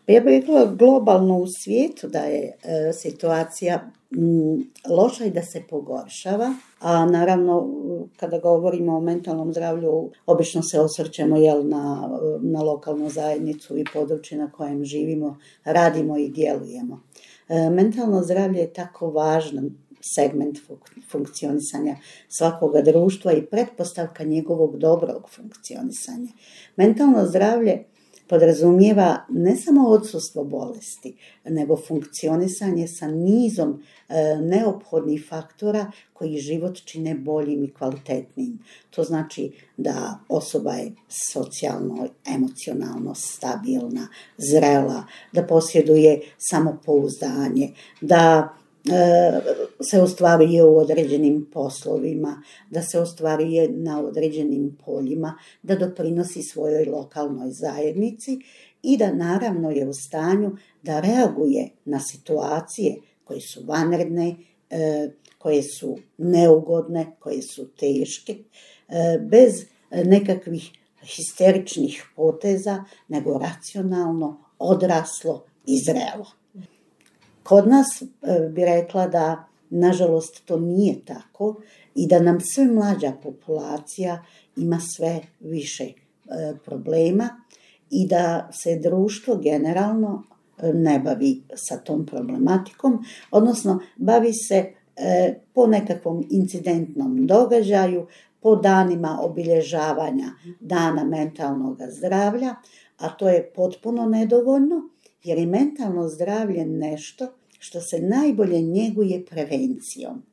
Pa ja bih rekla globalno u svijetu da je situacija loša i da se pogoršava, a naravno kada govorimo o mentalnom zdravlju obično se osvrćemo na lokalnu zajednicu i područje na kojem živimo, radimo i djelujemo. Mentalno zdravlje je tako važan segment funkcionisanja svakoga društva i pretpostavka njegovog dobrog funkcionisanja. Mentalno zdravlje podrazumijeva ne samo odsustvo bolesti, nego funkcionisanje sa nizom neophodnih faktora koji život čine boljim i kvalitetnijim. To znači da osoba je socijalno, emocionalno stabilna, zrela, da posjeduje samopouzdanje, da se ostvaruje u određenim poslovima, da se ostvaruje na određenim poljima, da doprinosi svojoj lokalnoj zajednici i da naravno je u stanju da reaguje na situacije koje su vanredne, koje su neugodne, koje su teške, bez nekakvih histeričnih poteza, nego racionalno, odraslo i zrelo. Kod nas bi rekla da, nažalost, to nije tako i da nam sve mlađa populacija ima sve više problema i da se društvo generalno ne bavi sa tom problematikom, odnosno bavi se po nekakvom incidentnom događaju, po danima obilježavanja dana mentalnog zdravlja, a to je potpuno nedovoljno, jer je mentalno zdravlje nešto što se najbolje njeguje prevencijom.